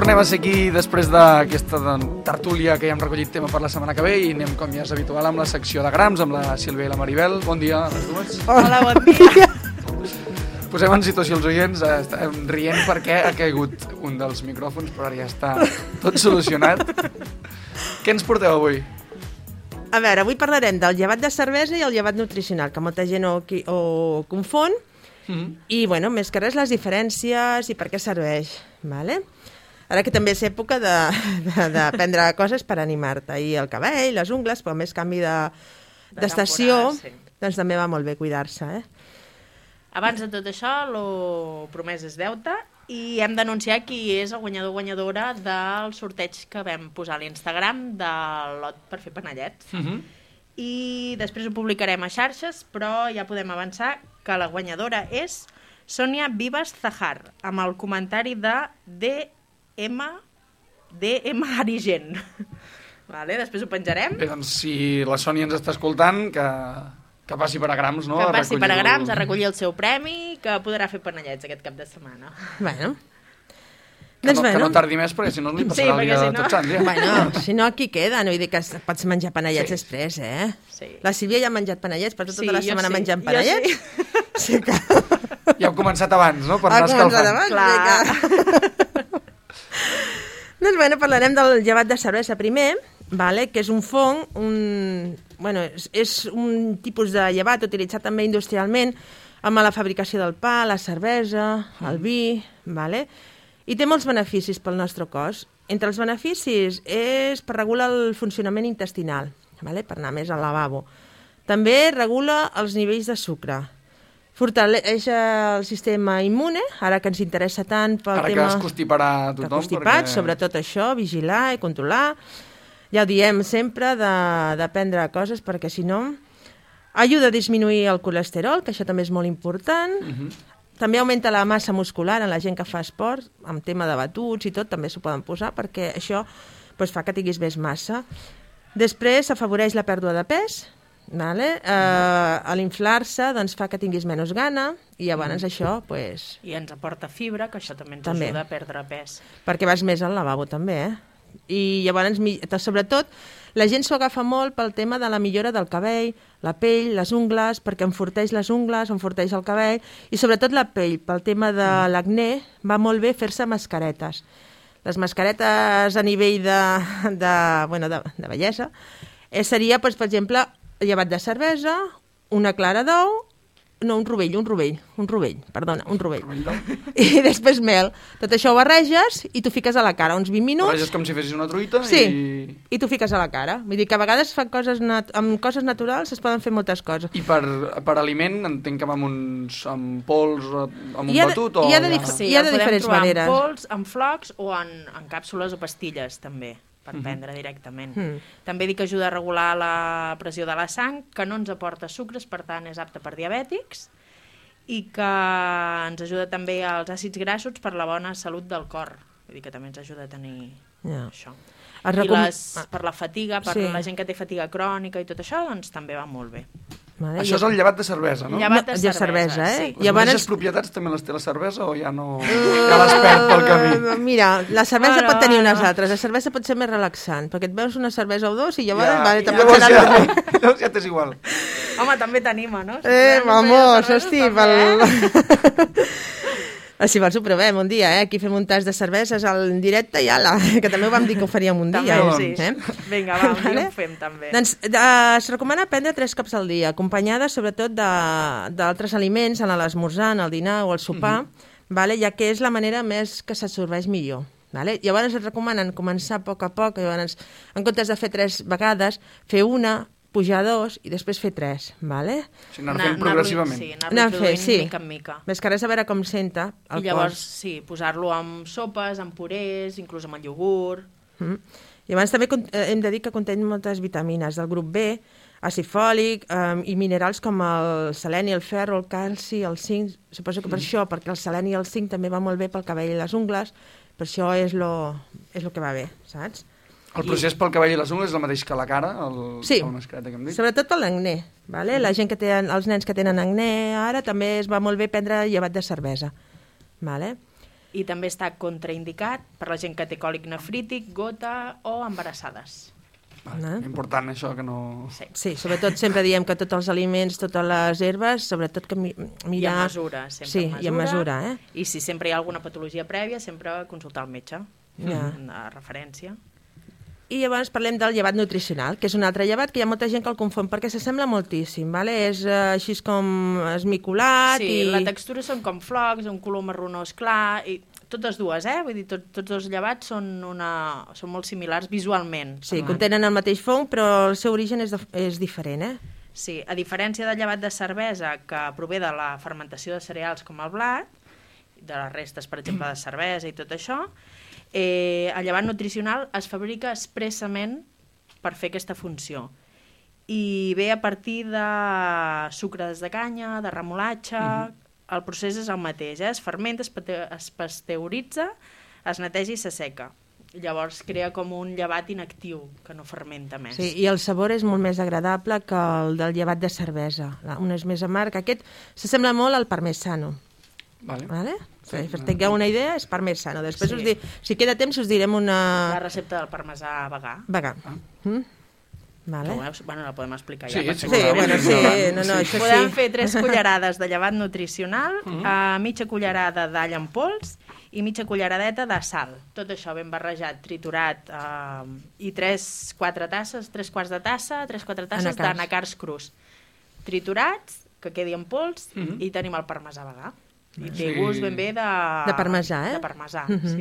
tornem a ser aquí després d'aquesta tertúlia que ja hem recollit tema per la setmana que ve i anem, com ja és habitual, amb la secció de grams, amb la Sílvia i la Maribel. Bon dia a les dues. Hola, bon dia. Posem en situació els oients, estem rient perquè ha caigut un dels micròfons, però ara ja està tot solucionat. Què ens porteu avui? A veure, avui parlarem del llevat de cervesa i el llevat nutricional, que molta gent ho confon, i, bueno, més que res, les diferències i per què serveix, vale? Ara que també és època de prendre coses per animar-te, i el cabell, les ungles, però més canvi d'estació, sí. Doncs també va molt bé cuidar-se, Abans de tot això, lo promès és deute, i hem d'anunciar qui és el guanyador o guanyadora del sorteig que vam posar a l'Instagram del lot per fer panellets. I després ho publicarem a xarxes, però ja podem avançar que la guanyadora és Sònia Vives Zahar, amb el comentari de DM Arigen. Vale, després ho penjarem. Bé, doncs si la Sònia ens està escoltant, que passi per a grams, no? Que passi per a grams, a recollir el seu premi, que podrà fer panellets aquest cap de setmana. Bueno. Que no tardi més, perquè si no li passarà el dia de tots sants. Bueno, si no, aquí queda. No vull dir que pots menjar panellets després, Sí. La Sílvia ja ha menjat panellets, però tota la setmana menjant panellets. Sí que... Ja heu començat abans, no? Per anar escalfant. Clar. Doncs bueno, parlarem del llevat de cervesa primer, que és un fong, és un tipus de llevat utilitzat també industrialment amb la fabricació del pa, la cervesa, el vi, i té molts beneficis pel nostre cos. Entre els beneficis és per regular el funcionament intestinal, per anar més al lavabo. També regula els nivells de sucre. Fortaleix el sistema immune, ara que ens interessa tant pel tema... Ara que es constiparà tothom. Constipats, sobretot això, vigilar i controlar. Ja ho diem sempre, de prendre coses, perquè si no... Ajuda a disminuir el colesterol, que això també és molt important. També augmenta la massa muscular en la gent que fa esport, amb tema de batuts i tot, també s'ho poden posar, perquè això fa que tinguis més massa. Després afavoreix la pèrdua de pes, a l'inflar-se fa que tinguis menys gana, i llavors això... I ens aporta fibra, que això també ens ajuda a perdre pes. Perquè vas més al lavabo també, I llavors, sobretot, la gent s'ho agafa molt pel tema de la millora del cabell, la pell, les ungles, perquè enforteix les ungles, enforteix el cabell, i sobretot la pell, pel tema de l'acné, va molt bé fer-se mascaretes. Les mascaretes a nivell de bellesa seria, per exemple, llevat de cervesa, una clara d'ou, un rovell. I després mel. Tot això ho barreges i t'ho fiques a la cara uns 20 minuts. Barreges com si fessis una truita i t'ho fiques a la cara. Vull dir que a vegades amb coses naturals es poden fer moltes coses. I per aliment entenc que va amb pols, amb un batut? Hi ha de diferents maneres. En pols, en flocs o en càpsules o pastilles també, per prendre directament. També dic que ajuda a regular la pressió de la sang, que no ens aporta sucres, per tant és apte per diabètics, i que ens ajuda també als àcids grassos per la bona salut del cor. Vull dir que també ens ajuda a tenir això. I per la fatiga, per la gent que té fatiga crònica i tot això, doncs també va molt bé. Això és el llevat de cervesa, no? Llevat de cervesa, sí. Les mateixes propietats també les té la cervesa o ja no... Ja les perd pel camí? Mira, la cervesa pot tenir unes altres. La cervesa pot ser més relaxant, perquè et veus una cervesa o dos i llavors... Llavors ja t'és igual. Home, també t'anima, no? Vamos, hosti, si vols ho provem un dia, aquí fem un tas de cerveses en directe i ala, que també ho vam dir que ho faríem un dia. Vinga, va, un dia ho fem també. Doncs es recomana prendre 3 cops al dia, acompanyada sobretot d'altres aliments en l'esmorzar, en el dinar o el sopar, ja que és la manera més que s'absorbeix millor. Llavors es recomanen començar a poc a poc, llavors, en comptes de fer 3 vegades, fer una, pujar 2 i després fer 3, vale? O sigui, anar fent progressivament. Sí, anar reproduint mica en mica. Més que res a veure com senta el cos. I llavors, posar-lo amb sopes, amb purés, inclús amb el iogurt. I abans també hem de dir que conté moltes vitamines del grup B, àcid fòlic i minerals com el seleni, el ferro, el calci, el zinc. Suposo que per això, perquè el seleni i el zinc també va molt bé pel cabell i les ungles, per això és lo que va bé, saps? El procés pel cabell i les ungles és el mateix que la cara, sí, mascareta que hem dit? Sobretot per l'acné. La gent que té, els nens que tenen acné ara també es va molt bé prendre llevat de cervesa. I també està contraindicat per la gent que té còlic nefrític, gota o embarassades. Important això, que no... Sí, sobretot sempre diem que tots els aliments, totes les herbes, sobretot que mirar... I en mesura, sempre sí, en mesura. I en mesura, I si sempre hi ha alguna patologia prèvia, sempre consultar el metge, una referència. I llavors parlem del llevat nutricional, que és un altre llevat que hi ha molta gent que el confon, perquè s'assembla moltíssim, vale? És així com esmicolat i... Sí, la textura són com flocs, un color marronós clar, i totes dues, vull dir, tots dos llevats són molt similars visualment. Sí, contenen el mateix fong, però el seu origen és diferent, Sí, a diferència del llevat de cervesa, que prové de la fermentació de cereals com el blat, de les restes, per exemple, de cervesa i tot això, el llevat nutricional es fabrica expressament per fer aquesta funció. I ve a partir de sucres de canya, de remolatge... El procés és el mateix, es fermenta, es pasteuritza, es neteja i s'asseca. Llavors crea com un llevat inactiu, que no fermenta més. Sí, i el sabor és molt més agradable que el del llevat de cervesa. Un és més amarg. Aquest s'assembla molt al parmesano. Vale? Sí, per tingueu una idea, és parmesano. Després, si queda temps, us direm una... La recepta del parmesà vegà. Vegà. Vale. Bueno, la podem explicar ja. Sí, això podem fer 3 cullerades de llevat nutricional, mitja cullerada d'all en pols i mitja culleradeta de sal. Tot això ben barrejat, triturat, i 3-4 tasses, 3 quarts de tassa, 3-4 tasses d'anacards crus. Triturats, que quedi en pols, i tenim el parmesà vegà. I té gust ben bé de parmesà, De parmesà,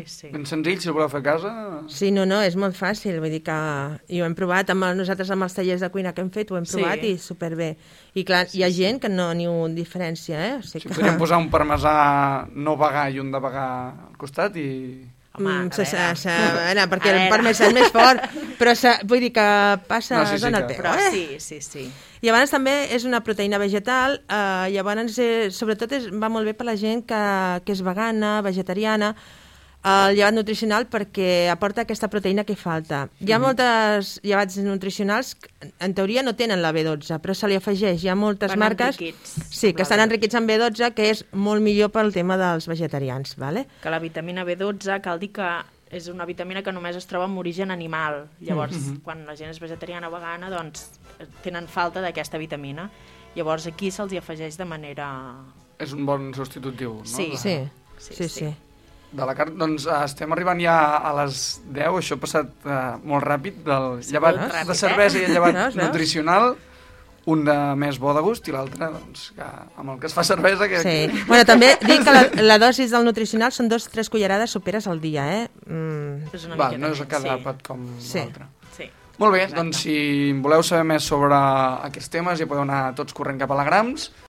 sí. Ben senzill, si el voleu fer a casa... Sí, no, és molt fàcil, vull dir que ho hem provat, nosaltres amb els tallers de cuina que hem fet, ho hem provat i superbé. I clar, hi ha gent que no n'hi ha diferència, O sigui que... Podríem posar un parmesà no vegà i un de vegà al costat i... perquè el parmesà és més fort, però vull dir que passa en el peu. Però sí. I llavors també és una proteïna vegetal, llavors sobretot va molt bé per la gent que és vegana, vegetariana, el llevat nutricional perquè aporta aquesta proteïna que falta. Hi ha moltes llevats nutricionals que en teoria no tenen la B12, però se li afegeix. Hi ha moltes marques que estan enriquits en B12, que és molt millor pel tema dels vegetarians. Que la vitamina B12 cal dir que és una vitamina que només es troba en origen animal. Llavors, quan la gent és vegetariana o vegana, doncs tenen falta d'aquesta vitamina. Llavors aquí se'ls hi afegeix de manera... És un bon substitutiu, no? Sí. De la carn, doncs estem arribant ja a les 10, això ha passat molt ràpid, del llevat de cervesa i el llevat nutricional, un de més bo de gust i l'altre, doncs, amb el que es fa cervesa... Bueno, també dic que la dosis del nutricional són 2-3 cullerades soperes al dia, no és a cada àpat com l'altre. Molt bé, doncs si voleu saber més sobre aquests temes ja podeu anar tots corrent cap a la Grams.